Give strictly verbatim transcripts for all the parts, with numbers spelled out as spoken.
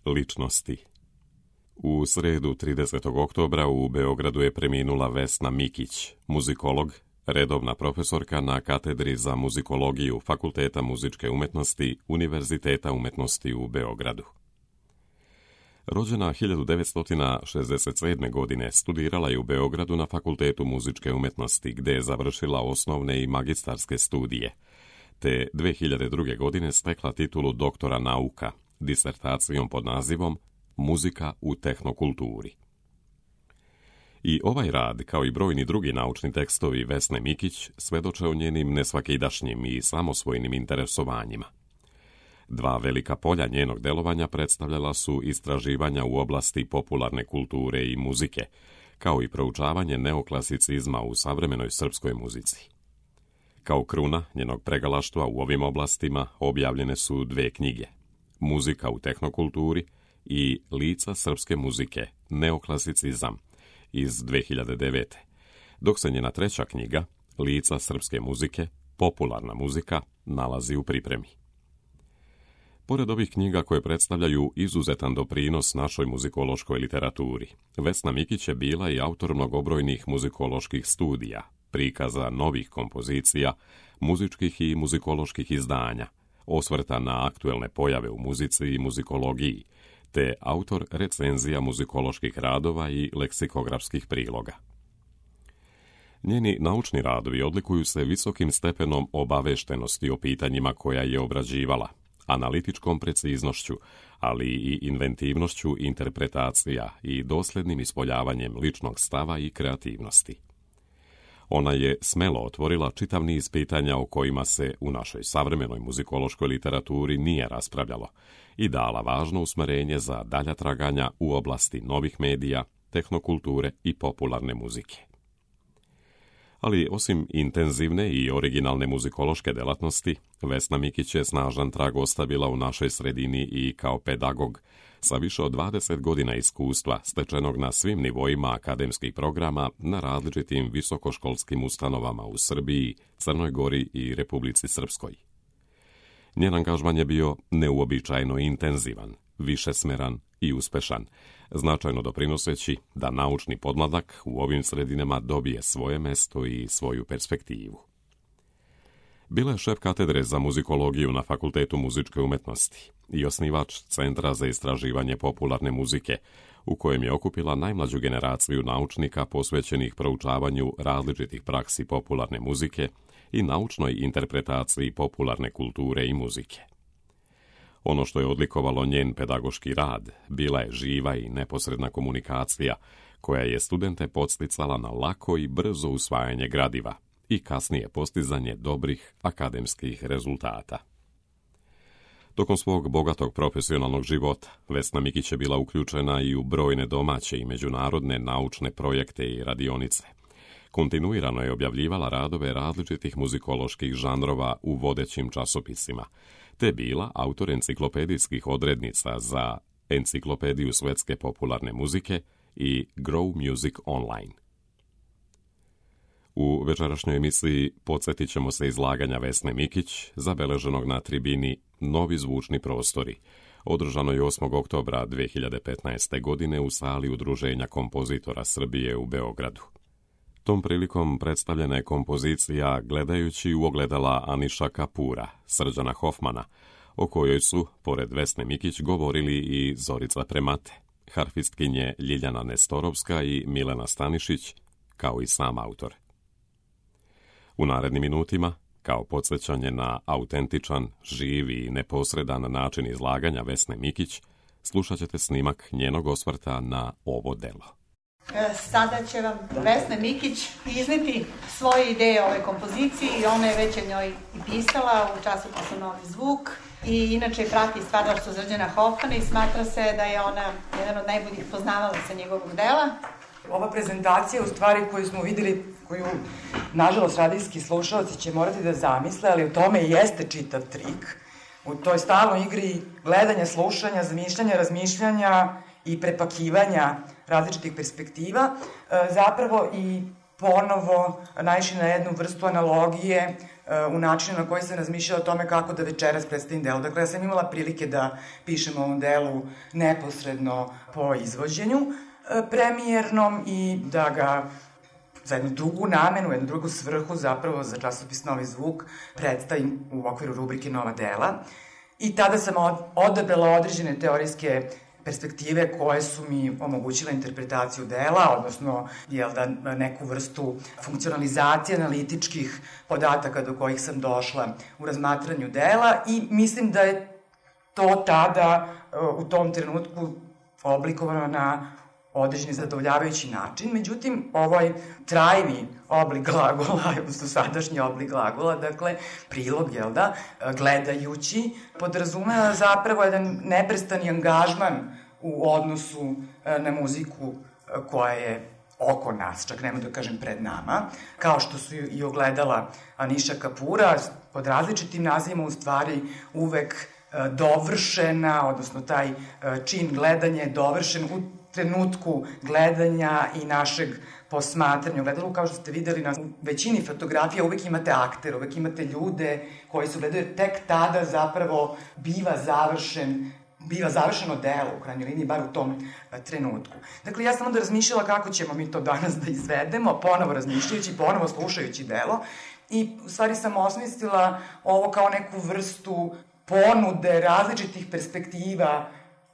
ličnosti. U sredu tridesetog oktobra u Beogradu je preminula Vesna Mikić, muzikolog, redovna profesorka na katedri za muzikologiju Fakulteta muzičke umetnosti Univerziteta umetnosti u Beogradu. Rođena hiljadu devetsto šezdeset sedme. godine, studirala je u Beogradu na Fakultetu muzičke umetnosti, gde je završila osnovne i magistarske studije, te dve hiljade druge. godine stekla titulu doktora nauka, disertacijom pod nazivom Muzika u tehnokulturi. I ovaj rad, kao i brojni drugi naučni tekstovi Vesne Mikić, svedoče o njenim nesvakidašnjim i samosvojnim interesovanjima. Dva velika polja njenog delovanja predstavljala su istraživanja u oblasti popularne kulture i muzike, kao i proučavanje neoklasicizma u savremenoj srpskoj muzici. Kao kruna njenog pregalaštva u ovim oblastima objavljene su dve knjige, Muzika u tehnokulturi i Lica srpske muzike, neoklasicizam, iz dve hiljade devete. dok se njena treća knjiga, Lica srpske muzike, popularna muzika, nalazi u pripremi. Pored ovih knjiga koje predstavljaju izuzetan doprinos našoj muzikološkoj literaturi, Vesna Mikić je bila i autor mnogobrojnih muzikoloških studija, prikaza novih kompozicija, muzičkih i muzikoloških izdanja, osvrta na aktuelne pojave u muzici i muzikologiji, te autor recenzija muzikoloških radova i leksikografskih priloga. Njeni naučni radovi odlikuju se visokim stepenom obaveštenosti o pitanjima koja je obrađivala, analitičkom preciznošću, ali i inventivnošću interpretacija i doslednim ispoljavanjem ličnog stava i kreativnosti. Ona je smelo otvorila čitav niz pitanja o kojima se u našoj savremenoj muzikološkoj literaturi nije raspravljalo i dala važno usmerenje za dalja traganja u oblasti novih medija, tehnokulture i popularne muzike. Ali osim intenzivne i originalne muzikološke delatnosti, Vesna Mikić je snažan trag ostavila u našoj sredini i kao pedagog sa više od dvadeset godina iskustva stečenog na svim nivoima akademskih programa na različitim visokoškolskim ustanovama u Srbiji, Crnoj Gori i Republici Srpskoj. Njen angažman je bio neuobičajeno intenzivan, višesmeran i uspešan, značajno doprinoseći da naučni podmladak u ovim sredinama dobije svoje mesto i svoju perspektivu. Bila je šef katedre za muzikologiju na Fakultetu muzičke umetnosti i osnivač Centra za istraživanje popularne muzike, u kojem je okupila najmlađu generaciju naučnika posvećenih proučavanju različitih praksi popularne muzike i naučnoj interpretaciji popularne kulture i muzike. Ono što je odlikovalo njen pedagoški rad bila je živa i neposredna komunikacija koja je studente podsticala na lako i brzo usvajanje gradiva i kasnije postizanje dobrih akademskih rezultata. Tokom svog bogatog profesionalnog života, Vesna Mikić je bila uključena i u brojne domaće i međunarodne naučne projekte i radionice. Kontinuirano je objavljivala radove različitih muzikoloških žanrova u vodećim časopisima, te bila autor enciklopedijskih odrednica za Enciklopediju svetske popularne muzike i Grow Music Online. U večerašnjoj emisiji podsjetit ćemo se izlaganja Vesne Mikić, zabeleženog na tribini Novi zvučni prostori, održano je osmog oktobra dve hiljade petnaeste. godine u sali Udruženja kompozitora Srbije u Beogradu. Tom prilikom predstavljena je kompozicija Gledajući u ogledala Aniša Kapura, Srđana Hofmana, o kojoj su, pored Vesne Mikić, govorili i Zorica Premate, harfistkinje Ljiljana Nestorovska i Milena Stanišić, kao i sam autor. U narednim minutima, kao podsjećanje na autentičan, živi i neposredan način izlaganja Vesne Mikić, slušat ćete snimak njenog osvrta na ovo delo. Sada će vam Vesna Mikić izneti svoje ideje o ovoj kompoziciji i ona je već o njoj i pisala u časopisu Novi zvuk i inače prati stvaralaštvo Srđana Hofmana i smatra se da je ona jedan od najboljih poznavalaca njegovog dela. Ova prezentacija u stvari koju smo videli, koju nažalost radijski slušalci će morati da zamisle, ali u tome i jeste čitav trik. U toj stalnoj igri gledanja, slušanja, zamišljanja, razmišljanja i prepakivanja različitih perspektiva, zapravo i ponovo naišli na jednu vrstu analogije u načinu na koji sam razmišljala o tome kako da večeras predstavim delo. Dakle, ja sam imala prilike da pišem o ovom delu neposredno po izvođenju premijernom i da ga za jednu drugu namenu, jednu drugu svrhu, zapravo za časopis Novi zvuk, predstavim u okviru rubrike Nova dela. I tada sam odabrala određene teorijske perspektive koje su mi omogućile interpretaciju dela, odnosno jel da, neku vrstu funkcionalizacije analitičkih podataka do kojih sam došla u razmatranju dela i mislim da je to tada u tom trenutku oblikovano na određeni zadovoljavajući način. Međutim, ovaj trajni oblik glagola, odnosno sadašnji oblik glagola, dakle, prilog, jel da, gledajući, podrazumeva zapravo jedan neprestani angažman u odnosu na muziku koja je oko nas, čak nema da kažem pred nama, kao što su i ogledala Aniša Kapura, pod različitim nazivima u stvari uvek dovršena, odnosno taj čin gledanja je dovršen u trenutku gledanja i našeg posmatranja. U gledalu, kao što ste videli, na većini fotografija uvek imate akter, uvek imate ljude koji su gledaju, tek tada zapravo biva završen biva završeno delo, u krajnjoj liniji, bar u tom trenutku. Dakle, ja sam onda razmišljala kako ćemo mi to danas da izvedemo, ponovo razmišljajući, ponovo slušajući delo, i u stvari sam osmislila ovo kao neku vrstu ponude različitih perspektiva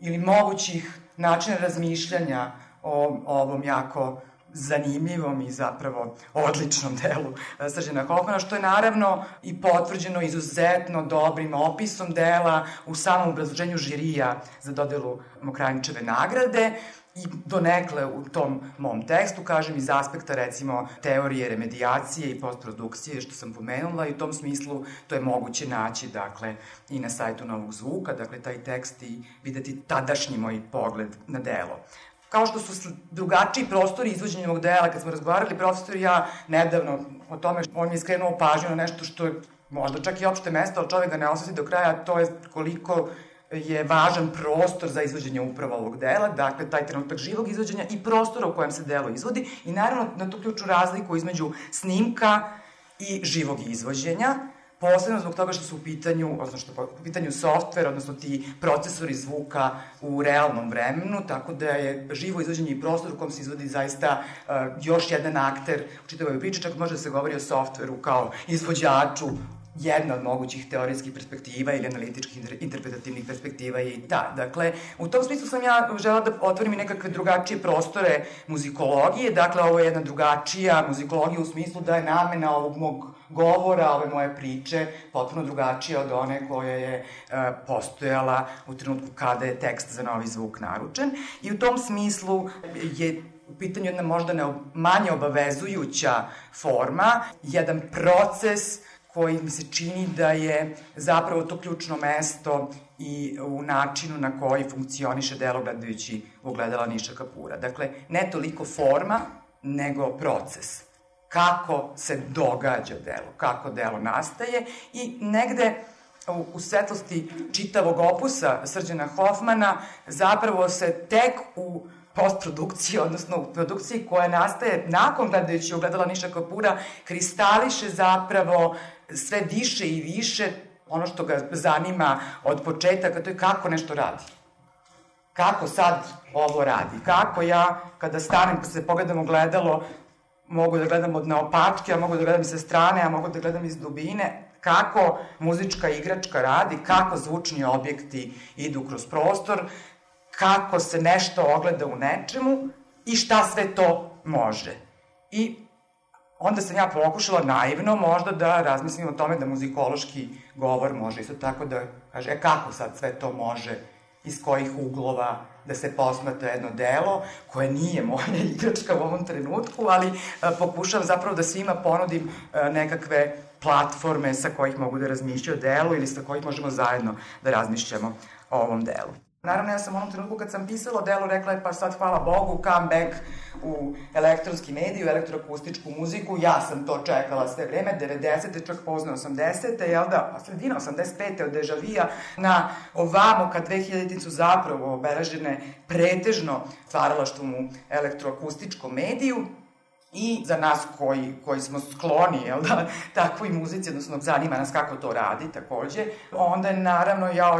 ili mogućih načina razmišljanja o ovom jako zanimljivom i zapravo odličnom delu Srđana Hofmana, što je naravno i potvrđeno izuzetno dobrim opisom dela u samom obrazloženju žirija za dodelu Mokranjčeve nagrade i donekle u tom mom tekstu, kažem, iz aspekta recimo teorije remedijacije i postprodukcije, što sam pomenula, i u tom smislu to je moguće naći, dakle, i na sajtu Novog zvuka, dakle, taj tekst i videti tadašnji moj pogled na delo. Kao što su drugačiji prostori izvođenja ovog dela, kad smo razgovarali, profesor i ja nedavno o tome, on mi je skrenuo pažnju na nešto što je možda čak i opšte mesto, ali čovek ga ne osjeti do kraja, to je koliko je važan prostor za izvođenje upravo ovog dela, dakle, taj trenutak živog izvođenja i prostora u kojem se delo izvodi i naravno na tu ključnu razliku između snimka i živog izvođenja, posebno zbog toga što su u pitanju, odnosno što u pitanju softver, odnosno ti procesori zvuka u realnom vremenu, tako da je živo izvođenje i prostor u kom se izvodi zaista uh, još jedan akter u čitavoj priči, čak može da se govori o softveru kao izvođaču. Jedna od mogućih teorijskih perspektiva ili analitičkih interpretativnih perspektiva je i ta. Dakle, u tom smislu sam ja žela da otvorim i nekakve drugačije prostore muzikologije, dakle, ovo je jedna drugačija muzikologija u smislu da je namena ovog mog govora, ove moje priče, potpuno drugačija od one koja je e, postojala u trenutku kada je tekst za Novi zvuk naručen. I u tom smislu je u pitanju jedna možda ne, manje obavezujuća forma, jedan proces koji mi se čini da je zapravo to ključno mesto i u načinu na koji funkcioniše delo gledajući ogledala Aniša Kapura. Dakle, ne toliko forma, nego proces. Kako se događa delo, kako delo nastaje i negde u, u svetlosti čitavog opusa Srđana Hofmana zapravo se tek u postprodukciji, odnosno u produkciji koja nastaje nakon gledajući ogledala Aniša Kapura, kristališe zapravo sve više i više ono što ga zanima od početaka, to je kako nešto radi. Kako sad ovo radi? Kako ja, kada stanem, pa se pogledam u gledalo, mogu da gledam od naopačke, a mogu da gledam i sa strane, a mogu da gledam iz dubine, kako muzička igračka radi, kako zvučni objekti idu kroz prostor, kako se nešto ogleda u nečemu i šta sve to može. I onda sam ja pokušala naivno možda da razmislim o tome da muzikološki govor može isto tako da kaže, e kako sad sve to može, iz kojih uglova da se posmatra jedno delo, koje nije moja igračka u ovom trenutku, ali a, pokušavam zapravo da svima ponudim a, nekakve platforme sa kojih mogu da razmišljaju o delu ili sa kojih možemo zajedno da razmišljamo o ovom delu. Naravno, ja sam u onom trenutku kad sam pisala o delu rekla je pa sad hvala Bogu, come back u elektronski mediju, elektroakustičku muziku, ja sam to čekala sve vreme, devedesete, čak pozne osamdesete, jel da, sredina osamdeset pete od Deja Vija na ovamo kad dve hiljadite su zapravo obeležene pretežno stvaralaštvom u elektroakustičkom mediju. I za nas koji, koji smo skloni, jel da, takvoj muzici, odnosno zanima nas kako to radi takođe, onda je naravno, ja,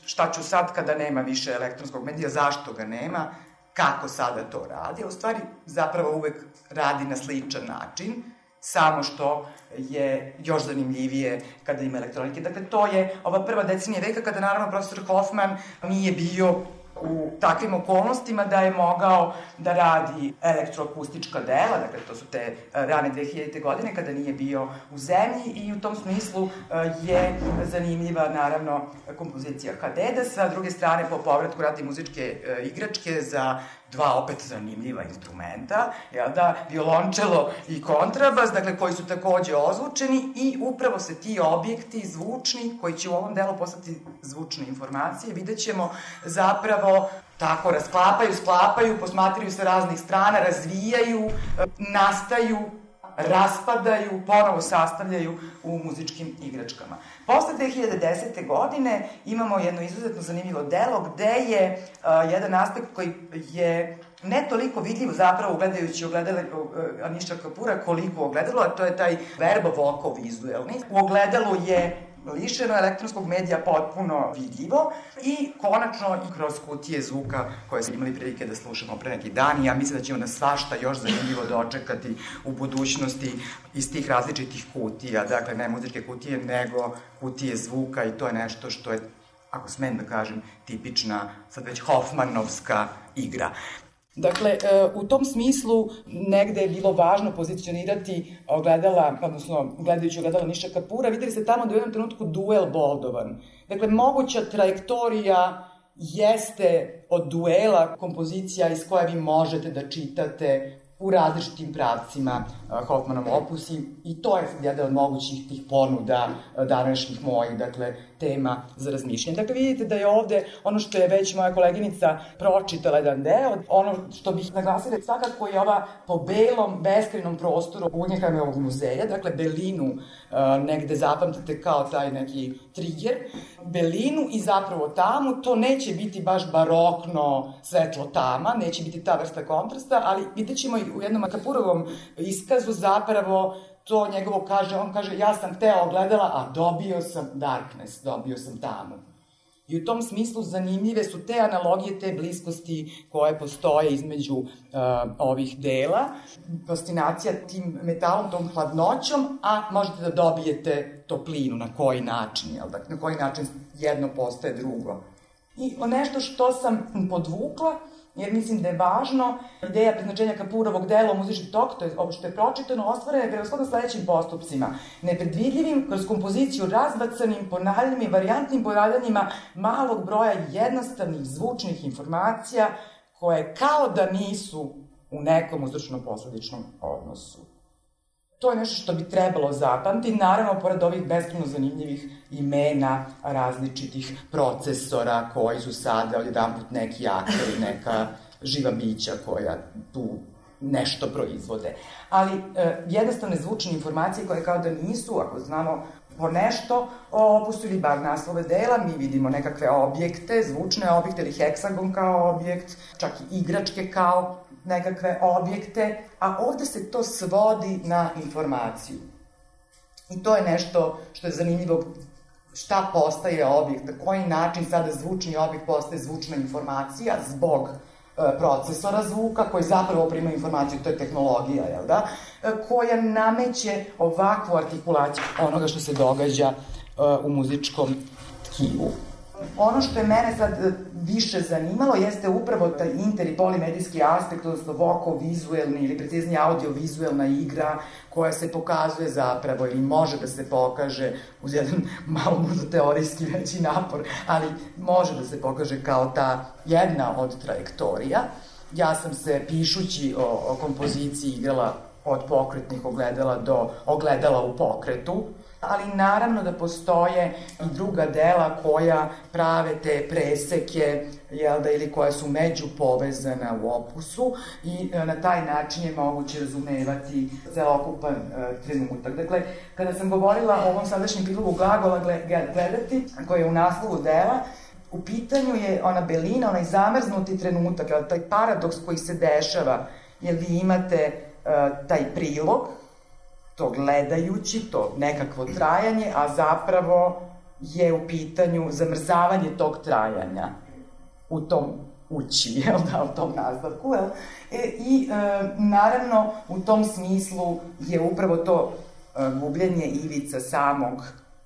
šta ću sad kada nema više elektronskog medija, zašto ga nema, kako sada to radi, a u stvari zapravo uvek radi na sličan način, samo što je još zanimljivije kada ima elektronike. Dakle, to je ova prva decenija veka kada naravno profesor Hoffman nije bio u takvim okolnostima da je mogao da radi elektroakustička dela, dakle to su te rane dve hiljadite godine kada nije bio u zemlji i u tom smislu je zanimljiva naravno kompozicija Hadeda, sa druge strane po povratku radi muzičke igračke za dva opet zanimljiva instrumenta, jel da, violončelo i kontrabas, dakle koji su takođe ozvučeni i upravo se ti objekti zvučni, koji će u ovom delu postati zvučne informacije, vidjet ćemo zapravo tako rasklapaju, sklapaju, posmatraju sa raznih strana, razvijaju, nastaju, raspadaju, ponovo sastavljaju u muzičkim igračkama. Posle dve hiljade desete. godine imamo jedno izuzetno zanimljivo delo gde je uh, jedan aspekt koji je ne toliko vidljiv zapravo gledajući ogledale uh, Aniša Kapura koliko ogledalo, a to je taj verbo-voko-vizuelni. U ogledalu je lišeno elektronskog medija potpuno vidljivo i konačno i kroz kutije zvuka koje smo imali prilike da slušamo pre neki dan i ja mislim da ćemo nas svašta još zanimljivo dočekati u budućnosti iz tih različitih kutija, dakle ne muzičke kutije nego kutije zvuka i to je nešto što je, ako smem da kažem, tipična sad već Hoffmanovska igra. Dakle, u tom smislu negde je bilo važno pozicionirati ogledala, odnosno gledajući ogledala Aniša Kapura, videli ste tamo da je u jednom trenutku duel boldovan. Dakle, moguća trajektorija jeste od duela kompozicija iz koje vi možete da čitate u različitim pravcima Hoffmanov opus i to je jedan od mogućih tih ponuda današnjih mojih, dakle, tema za razmišljanje. Dakle, vidite da je ovde ono što je već moja koleginica pročitala jedan deo, ono što bih naglasila svakako je ova po belom, beskrajnom prostoru Guggenheimovog muzeja, dakle, belinu negde zapamtite kao taj neki trigger, belinu i zapravo tamu, to neće biti baš barokno svetlo tama, neće biti ta vrsta kontrasta, ali vidjet ćemo i u jednom Kapurovom iskazu zapravo to njegovo kaže, on kaže ja sam hteo ogledala, a dobio sam darkness, dobio sam tamu. I u tom smislu zanimljive su te analogije, te bliskosti koje postoje između uh, ovih dela. Fascinacija tim metalom, tom hladnoćom, a možete da dobijete toplinu, na koji način, jel da, na koji način jedno postaje drugo. I nešto što sam podvukla, jer mislim da je važno, ideja preznačenja Kapurovog dela u muzički tok, to je ovo što je pročitano, ostvarena je prevashodno sledećim postupcima. Nepredvidljivim, kroz kompoziciju razbacanim, ponavljanjima i varijantnim ponavljanjima malog broja jednostavnih zvučnih informacija koje kao da nisu u nekom uzročno-posledičnom odnosu. To je nešto što bi trebalo zapamtiti, naravno, pored ovih beskrajno zanimljivih imena različitih procesora koji su sada odjedanput neki akteri, neka živa bića koja tu nešto proizvode. Ali e, jednostavne zvučne informacije koje kao da nisu, ako znamo po nešto o opusu ili bar naslove dela, mi vidimo nekakve objekte, zvučne objekte ili heksagon kao objekt, čak i igračke kao nekakve objekte, a ovde se to svodi na informaciju. I to je nešto što je zanimljivo, šta postaje objekt, na koji način sada zvučni objekt postaje zvučna informacija zbog e, procesora zvuka, koji zapravo prima informaciju, to je tehnologija, jel da, e, koja nameće ovakvu artikulaciju onoga što se događa e, u muzičkom tkivu. Ono što je mene sad više zanimalo jeste upravo taj inter- i polimedijski aspekt, odnosno voko-vizuelni ili preciznije audio-vizuelna igra koja se pokazuje zapravo ili može da se pokaže uz jedan malo možda teorijski veći napor, ali može da se pokaže kao ta jedna od trajektorija. Ja sam se pišući o, o kompoziciji igrala od pokretnih ogledala do ogledala u pokretu, ali naravno da postoje i druga dela koja prave te preseke, jel da, ili koja su međupovezana u opusu i na taj način je moguće razumevati celokupan e, trenutak. Dakle, kada sam govorila o ovom sadašnjem prilogu glagola gledati, koji je u naslovu dela, u pitanju je ona belina, onaj zamrznuti trenutak, taj paradoks koji se dešava, jer vi imate taj prilog, to gledajući, to nekakvo trajanje, a zapravo je u pitanju zamrzavanje tog trajanja u tom ući, jel da, u tom nastavku, jel? E, I e, naravno u tom smislu je upravo to e, gubljenje ivica samog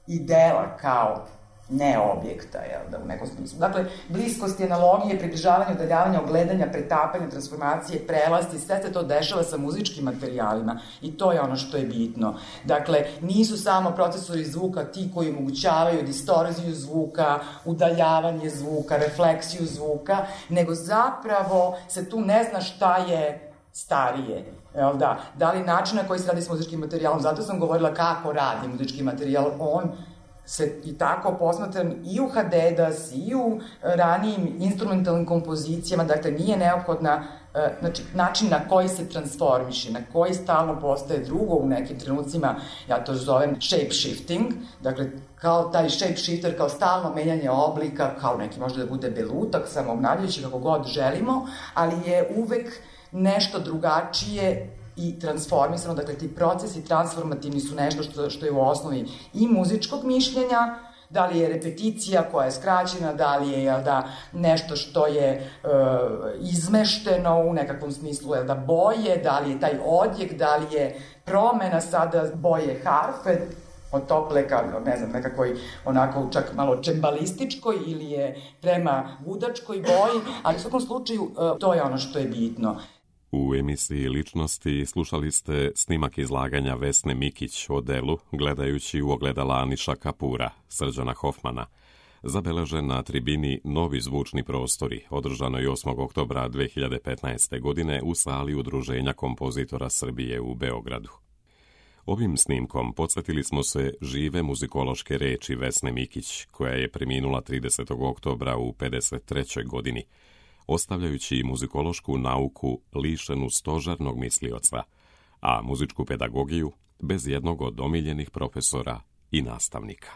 idela kao ne objekta, jel da, u nekom smislu. Dakle, bliskost, analogije, približavanje, udaljavanje, ogledanja, pretapanje, transformacije, prelasti, sve se to dešava sa muzičkim materijalima i to je ono što je bitno. Dakle, nisu samo procesori zvuka ti koji omogućavaju distorziju zvuka, udaljavanje zvuka, refleksiju zvuka, nego zapravo se tu ne zna šta je starije. Jel da? Da li način na koji se radi s muzičkim materijalom, zato sam govorila kako radi muzički materijal, on se i tako posmatran i u Hadedas, i u ranijim instrumentalnim kompozicijama, dakle nije neophodna, znači način na koji se transformiše, na koji stalno postaje drugo u nekim trenucima, ja to zovem shape shifting, dakle kao taj shape shifter, kao stalno menjanje oblika, kao neki može da bude belutak, samoobnavljajući kako god želimo, ali je uvek nešto drugačije i transformisano, dakle ti procesi transformativni su nešto što, što je u osnovi i muzičkog mišljenja, da li je repeticija koja je skraćena, da li je jel da, nešto što je e, izmešteno u nekakvom smislu, jel da, boje, da li je taj odjek, da li je promena sada boje harfe, od tople ka, ne znam, nekakvoj onako čak malo čembalističkoj ili je prema gudačkoj boji, ali u svakom slučaju e, to je ono što je bitno. U emisiji Ličnosti slušali ste snimak izlaganja Vesne Mikić o delu gledajući u ogledala Aniša Kapura, Srđana Hofmana, zabeležen na tribini Novi zvučni prostori, održanoj osmog oktobra dve hiljade petnaeste. godine u sali Udruženja kompozitora Srbije u Beogradu. Ovim snimkom podsjetili smo se žive muzikološke reči Vesne Mikić, koja je preminula tridesetog oktobra u pedeset trećoj. godini, ostavljajući muzikološku nauku lišenu stožernog mislioca, a muzičku pedagogiju bez jednog od omiljenih profesora i nastavnika.